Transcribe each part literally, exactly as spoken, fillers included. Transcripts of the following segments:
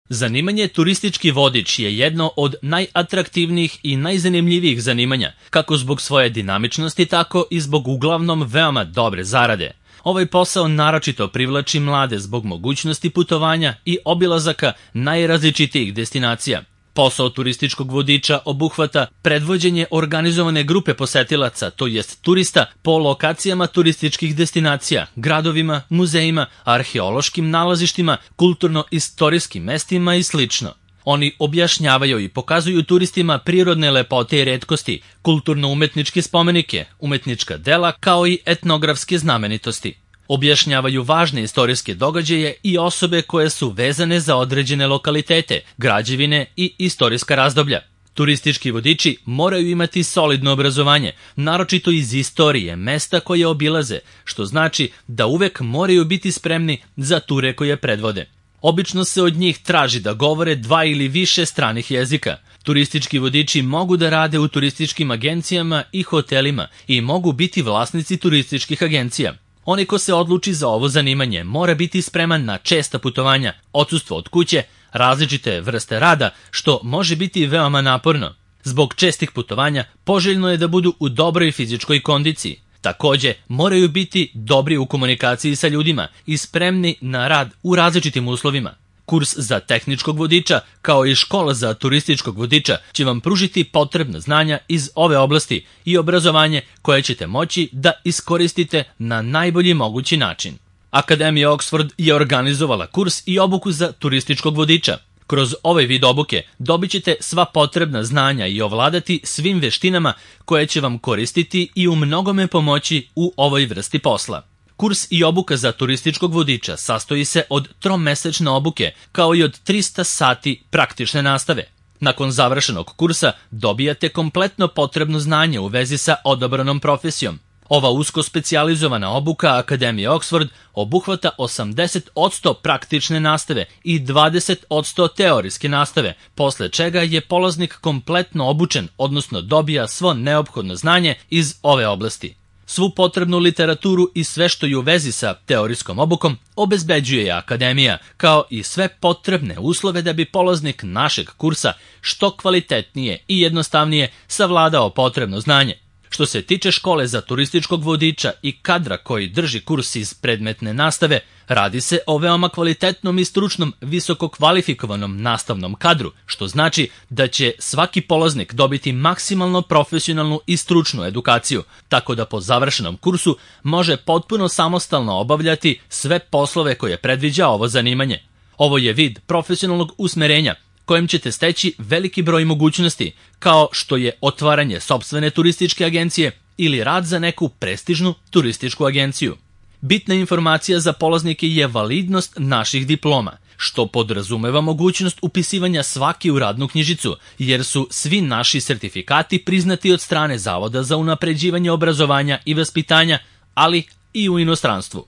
Zanimanje turistički vodič je jedno od najatraktivnijih i najzanimljivijih zanimanja, kako zbog svoje dinamičnosti, tako i zbog uglavnom veoma dobre zarade. Ovaj posao naročito privlači mlade zbog mogućnosti putovanja i obilazaka najrazličitijih destinacija. Posao turističkog vodiča obuhvata predvođenje organizovane grupe posetilaca, to jest turista, po lokacijama turističkih destinacija, gradovima, muzejima, arheološkim nalazištima, kulturno-istorijskim mestima i slično. Oni objašnjavaju i pokazuju turistima prirodne lepote i retkosti, kulturno-umetničke spomenike, umetnička dela kao i etnografske znamenitosti. Objašnjavaju važne istorijske događaje i osobe koje su vezane za određene lokalitete, građevine i istorijska razdoblja. Turistički vodiči moraju imati solidno obrazovanje, naročito iz istorije mesta koje obilaze, što znači da uvek moraju biti spremni za ture koje predvode. Obično se od njih traži da govore dva ili više stranih jezika. Turistički vodiči mogu da rade u turističkim agencijama i hotelima i mogu biti vlasnici turističkih agencija. Onaj ko se odluči za ovo zanimanje mora biti spreman na česta putovanja, odsustvo od kuće, različite vrste rada, što može biti veoma naporno. Zbog čestih putovanja poželjno je da budu u dobroj fizičkoj kondiciji. Takođe, moraju biti dobri u komunikaciji sa ljudima i spremni na rad u različitim uslovima. Kurs za tehničkog vodiča, kao i škola za turističkog vodiča, će vam pružiti potrebna znanja iz ove oblasti i obrazovanje koje ćete moći da iskoristite na najbolji mogući način. Akademija Oxford je organizovala kurs i obuku za turističkog vodiča. Kroz ovaj vid obuke dobit ćete sva potrebna znanja i ovladati svim veštinama koje će vam koristiti i u mnogome pomoći u ovoj vrsti posla. Kurs i obuka za turističkog vodiča sastoji se od tromesečne obuke, kao i od trista sati praktične nastave. Nakon završenog kursa dobijate kompletno potrebno znanje u vezi sa odabranom profesijom. Ova usko specijalizovana obuka Akademije Oxford obuhvata osamdeset posto praktične nastave i dvadeset posto teorijske nastave, posle čega je polaznik kompletno obučen, odnosno dobija svo neophodno znanje iz ove oblasti. Svu potrebnu literaturu i sve što je u vezi sa teorijskom obukom obezbeđuje Akademija, kao i sve potrebne uslove da bi polaznik našeg kursa što kvalitetnije i jednostavnije savladao potrebno znanje. Što se tiče škole za turističkog vodiča i kadra koji drži kurs iz predmetne nastave, radi se o veoma kvalitetnom i stručnom visoko kvalifikovanom nastavnom kadru, što znači da će svaki polaznik dobiti maksimalno profesionalnu i stručnu edukaciju, tako da po završenom kursu može potpuno samostalno obavljati sve poslove koje predviđa ovo zanimanje. Ovo je vid profesionalnog usmerenja, kojim ćete steći veliki broj mogućnosti, kao što je otvaranje sopstvene turističke agencije ili rad za neku prestižnu turističku agenciju. Bitna informacija za polaznike je validnost naših diploma, što podrazumeva mogućnost upisivanja svaki u radnu knjižicu, jer su svi naši sertifikati priznati od strane Zavoda za unapređivanje obrazovanja i vaspitanja, ali i u inostranstvu.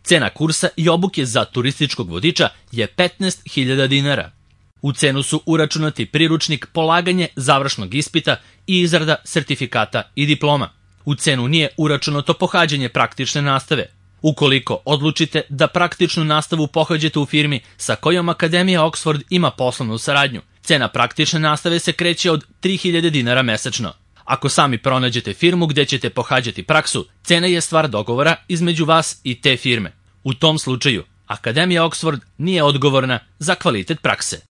Cena kursa i obuke za turističkog vodiča je petnaest hiljada dinara. U cenu su uračunati priručnik, polaganje završnog ispita i izrada sertifikata i diploma. U cenu nije uračunato pohađanje praktične nastave. Ukoliko odlučite da praktičnu nastavu pohađate u firmi sa kojom Akademija Oxford ima poslovnu saradnju, cena praktične nastave se kreće od tri hiljade dinara mesečno. Ako sami pronađete firmu gde ćete pohađati praksu, cena je stvar dogovora između vas i te firme. U tom slučaju, Akademija Oxford nije odgovorna za kvalitet prakse.